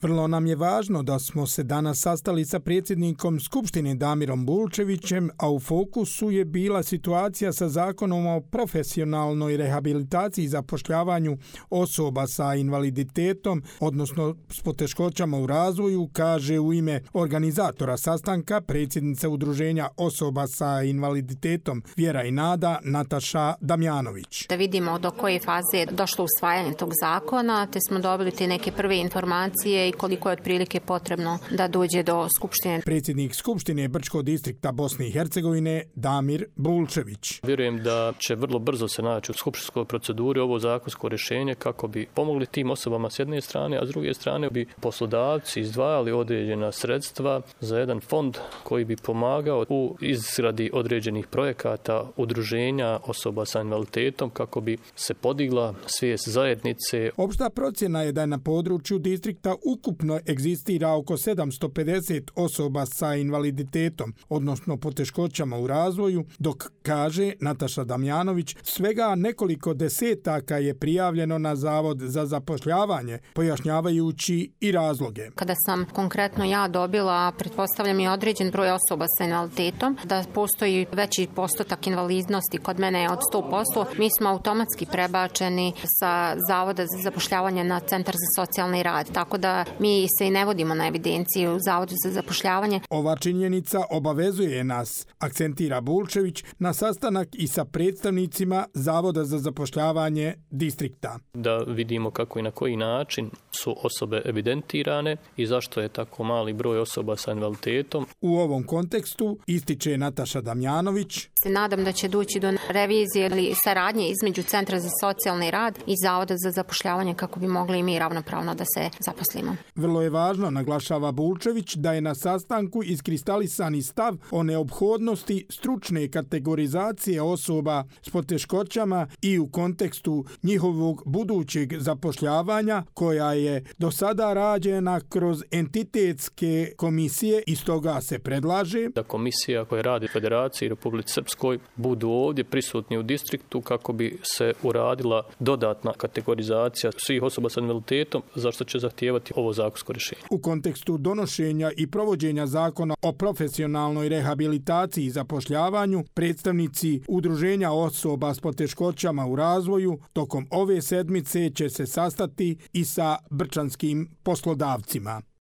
Vrlo nam je važno da smo se danas sastali sa predsjednikom Skupštine Damirom Bulčevićem, a u fokusu je bila situacija sa Zakonom o profesionalnoj rehabilitaciji i zapošljavanju osoba sa invaliditetom, odnosno s poteškoćama u razvoju, kaže u ime organizatora sastanka predsjednica Udruženja osoba sa invaliditetom Vjera i Nada Nataša Damjanović. Da vidimo do koje faze je došlo usvajanje tog zakona, te smo dobili te neke prve informacije i koliko je otprilike potrebno da dođe do Skupštine. Predsjednik Skupštine Brčkog distrikta Bosne i Hercegovine Damir Bulčević. Vjerujem da će vrlo brzo se naći u skupštinskoj proceduri ovo zakonsko rješenje kako bi pomogli tim osobama s jedne strane, a s druge strane bi poslodavci izdvajali određena sredstva za jedan fond koji bi pomagao u izradi određenih projekata udruženja osoba sa invaliditetom kako bi se podigla svijest zajednice. Opšta procjena je da je na području distrikta ukupno egzistira oko 750 osoba sa invaliditetom, odnosno poteškoćama u razvoju, dok, kaže Nataša Damjanović, svega nekoliko desetaka je prijavljeno na Zavod za zapošljavanje, pojašnjavajući i razloge. Kada sam konkretno ja dobila, pretpostavljam i određen broj osoba sa invaliditetom, da postoji veći postotak invalidnosti kod mene od 100%, mi smo automatski prebačeni sa Zavoda za zapošljavanje na Centar za socijalni rad, tako da mi se i ne vodimo na evidenciju u Zavodu za zapošljavanje. Ova činjenica obavezuje nas, akcentira Bulčević, na sastanak i sa predstavnicima Zavoda za zapošljavanje distrikta. Da vidimo kako i na koji način su osobe evidentirane i zašto je tako mali broj osoba sa invaliditetom. U ovom kontekstu, ističe Nataša Damjanović, se nadam da će doći do revizije ili saradnje između Centra za socijalni rad i Zavoda za zapošljavanje kako bi mogli i mi ravnopravno da se zaposlimo. Vrlo je važno, naglašava Bulčević, da je na sastanku iskristalisani stav o neophodnosti stručne kategorizacije osoba s poteškoćama i u kontekstu njihovog budućeg zapošljavanja, koja je do sada rađena kroz entitetske komisije i stoga se predlaže da komisija koja radi u Federaciji Republici Srpskoj budu ovdje prisutni u distriktu kako bi se uradila dodatna kategorizacija svih osoba sa invaliditetom, za što će zahtijevati ovo zakonsko rješenje. U kontekstu donošenja i provođenja Zakona o profesionalnoj rehabilitaciji i zapošljavanju, predstavnici Udruženja osoba s poteškoćama u razvoju tokom ove sedmice će se sastati i sa brčanskim poslodavcima.